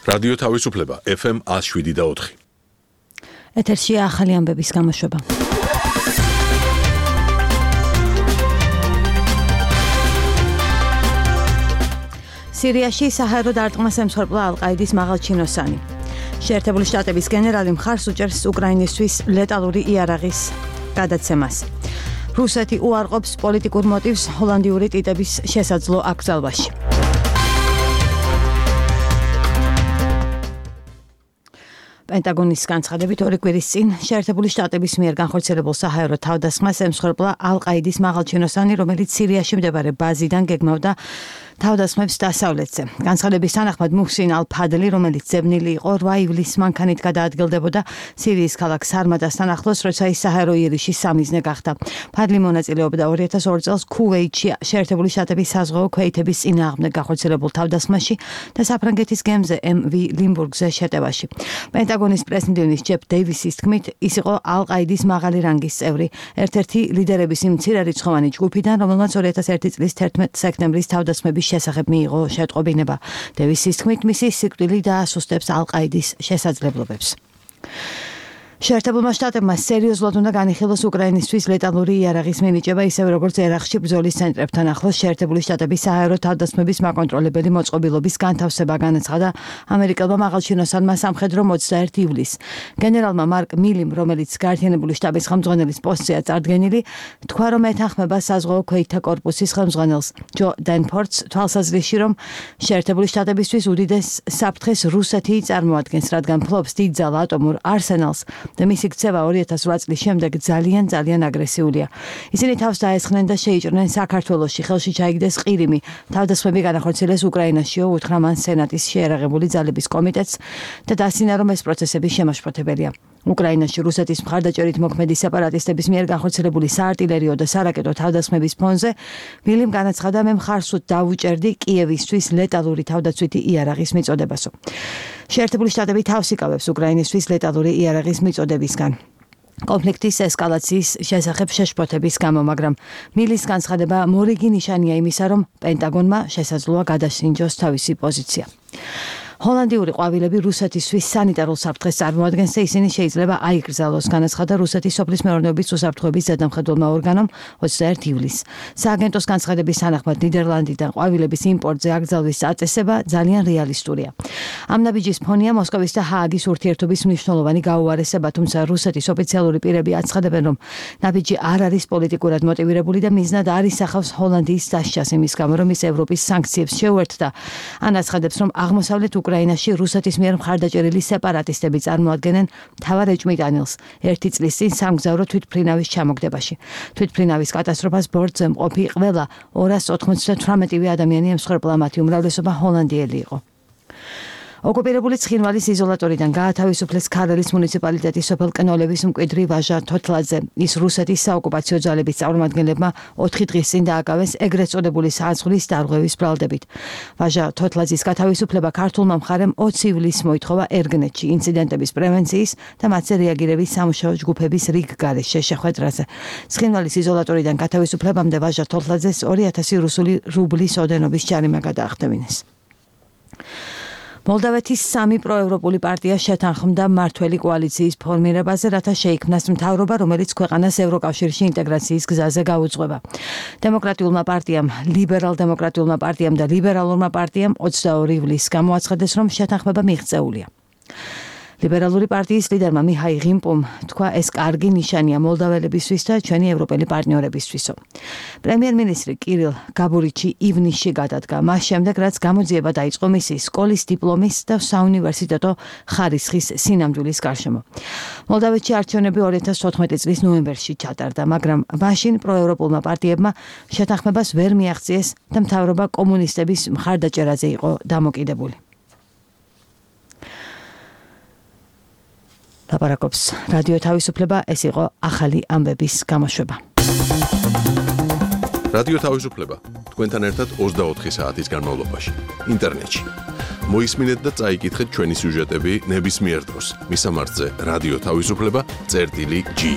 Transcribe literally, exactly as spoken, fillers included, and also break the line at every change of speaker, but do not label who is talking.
რადიო თავისუფლება ეფ ემ one oh seven და four.
ეთერშია ახალი ამბების გამოშვება. სირიაში საჰაერო დარტყმას ემსხვერპლა ალ-ყაიდის მაღალჩინოსანი. შეერთებული შტატების გენერალი მხარს უჭერს უკრაინისთვის ლეტალური იარაღის გადაცემას. რუსეთი უარყოფს პოლიტიკურ მოტივს ჰოლანდიური ტიტების შესაძლო აკრძალვაში. პენტაგონის განცხადებით ორი კვირის წინ შეერთებული შტატების მიერ განხორციელებულ საჰაერო თავდასხმას ემსხვერპლა ალ-ყაიდის მაღალჩინოსანი, რომელიც სირიაში მდებარე ბაზიდან გეგმავდა თავდასხმებს დასავლეთზე. განცხადების თანახმად მუჰსინ ალ-ფადლი, რომელიც ძებნილი იყო რვა ივლისს მანქანით გადაადგილდებოდა სირიის ქალაქ სარმადასთან ახლოს, როცა ის საჰაერო იერიშის სამიზნე გახდა. ფადლი მონაწილეობდა ორი ათას ორი წელს ქუვეითში შეერთებული შტატების საზღვაო ქვეითების წინააღმდეგ განხორციელებულ თავდასხმაში და საფრანგეთის გემზე ემ ვი ლიმბურგზე შეტევაში. პენტაგონის პრეზიდენტის ჯეფ დეივისის თქმით, ის იყო ალ-ყაიდის მაღალი რანგის წევრი, ერთ-ერთი ლიდერების იმ მცირერიცხოვანი ჯგუფიდან, რომელმაც ორი ათას ერთი წლის თერთმეტ სექტემბრის თავდასხმების შესახებ მიიღო შეტყობინება. დევისის თქმით, მისი სიკვდილი დაასუსტებს ალ-ყაიდის შესაძლებლობებს. შეერთებულმა შტატებმა სერიოზულად უნდა განიხილოს უკრაინისთვის ლეტალური იარაღის მინიჭება, ისევე როგორც ერაყში ბრძოლის ცენტრებთან ახლოს შეერთებული შტატების საჰაერო თავდასხმების მაკონტროლებელი მოწყობილობის განთავსება, განაცხადა ამერიკელმა მაღალჩინოსანმა სამხედრო ოცდაერთი ივლისს. გენერალმა მარკ მილიმ, რომელიც გაერთიანებული შტაბის ხელმძღვანელის პოსტზეა წარდგენილი, თქვა, რომ ეთანხმება საზღვაო ქვეითთა კორპუსის ხელმძღვანელს ჯო დენფორდს თვალსაზრისში, რომ შეერთებული შტატებისთვის უდიდეს საფრთხეს რუსეთი წარმოადგენს, რადგან ფლობს დიდძალ ატომურ არსენალს და მისი ქცევა ორი ათას რვა წლის შემდეგ ძალიან ძალიან აგრესიულია. ისინი თავს დაესხნენ და შეიჭრნენ საქართველოში, ხელში ჩაიგდეს ყირიმი. თავდასხმები განახორციელეს უკრაინაშიო, უთხრა მან სენატის შეიარაღებული ძალების კომიტეტს და დასინა, რომ ეს პროცესები შემაშფოთებელია. უკრაინაში რუსეთის მხარდაჭერით მოქმედი სეპარატისტების მიერ განხორციელებული საარტილერიო და სარაკეტო თავდასხმების ფონზე მილიმ განაცხადა, მე მხარსუთ დავუჭერდი კიევისთვის ლეტალური თავდაცვითი იარაღის მიწოდებასო. შეერთებული შტატები თავს იკავებს უკრაინისთვის ლეტალური იარაღის მიწოდებისგან კონფლიქტის ესკალაციის შესახებ შეშფოთების გამო, მაგრამ მილის განცხადება მორიგი ნიშანია იმისა, რომ პენტაგონმა შესაძლოა გადასინჯოს თავისი პოზიცია. ჰოლანდიური ყვავილები რუსეთისთვის სანიტარულ საფრთხეს წარმოადგენს და ისინი შეიძლება აიკრძალოს, განაცხადა რუსეთის სოფლის მეურნეობის უსაფრთხოების ზედამხედველმა ორგანომ ოცდაერთი ივლისს. სააგენტოს განცხადების თანახმად ნიდერლანდიდან ყვავილების იმპორტზე აკრძალვის წაწესება ძალიან რეალისტურია. ამ ნაბიჯის ფონია მოსკოვის და ჰააგის ურთიერთობის მნიშვნელოვანი გაუარესება, თუმცა რუსეთის ოფიციალური პირები აცხადებენ, რომ ნაბიჯი არ არის პოლიტიკურად მოტივირებული და მიზნად არ ისახავს ჰოლანდიის დასჯას იმის გამო, რომ ის ევროპის სანქციებს შეუერთდა. ან აცხადებს, რომ აღმოსავლეთ უკრაინაში რუსეთის მიერ მხარდაჭერილი სეპარატისტები წარმოადგენენ მთავარ ეჭვმიტანილს ერთი წლის წინ სამგზავრო თვითმფრინავის ჩამოგდებაში. თვითმფრინავის კატასტროფას ბორტზე მყოფი ყველა ორას ოთხმოცდათვრამეტი ადამიანი ემსხვერპლა, მათი უმრავლესობა ჰოლანდიელი იყო. ოკუპირებული ცხინვალის იზოლატორიდან გაათავისუფლეს ქარელის მუნიციპალიტეტის სოფელ კნოლევის მკვიდრი ვაჟა თოთლაძე. ის რუსეთის საოკუპაციო ძალების წარმომადგენლებმა ოთხი დღის წინ დააკავეს ეგრეთ წოდებული საძღვრის დარღვევის ბრალდებით. ვაჟა თოთლაძის გათავისუფლება ქართულმა მხარემ ოცი ივლისს მოითხოვა ერგნეთში ინციდენტების პრევენციის და მათზე რეაგირების სამუშაო ჯგუფების რიგგარეშე შეხვედრაზე. ცხინვალის იზოლატორიდან გათავისუფლებამდე ვაჟა თოთლაძეს ორი ათასი რუსული რუბლის ოდენობის ჯარიმა გადაახდევინეს. მოლდავეთის სამი პროევროპული პარტია შეთანხმდა მმართველი კოალიციის ფორმირებაზე, რათა შეიქმნას მთავრობა, რომელიც ქვეყანას ევროკავშირში ინტეგრაციის გზაზე გაუძღვება. დემოკრატიულმა პარტიამ, ლიბერალ-დემოკრატიულმა პარტიამ და ლიბერალურმა პარტიამ ოცდაორი ივლისს გამოაცხადეს, რომ შეთანხმება მიღწეულია. ლიბერალური პარტიის ლიდერმა მიჰაილ ღიმპომ თქვა, ეს კარგი ნიშანია მოლდაველებისთვის და ჩვენი ევროპელი პარტნიორებისთვისო. პრემიერ-მინისტრი კირილ გაბურიჩი ივნისში გადადგა, მას შემდეგ, რაც გამოძიება დაიწყო მისი სკოლის დიპლომის და საუნივერსიტეტო ხარისხის სინამდვილის გარშემო. მოლდავეთში არჩევნები ორი ათას თოთხმეტი წლის ნოემბერში ჩატარდა, მაგრამ მაშინ პროევროპულმა პარტიებმა შეთანხმებას ვერ მიაღწიეს და მთავრობა კომუნისტების მხარდაჭერაზე იყო დამოკიდებული. ლაპარაკობს რადიო თავისუფლება, ეს იყო ახალი ამბების გამოშვება.
რადიო თავისუფლება თქვენთან ერთად ოცდაოთხი საათის განმავლობაში ინტერნეტში. მოისმინეთ და წაიკითხეთ ჩვენი სიუჟეტები ნებისმიერ დროს. მისამართზე რადიო თავისუფლება წერტილი ჯი.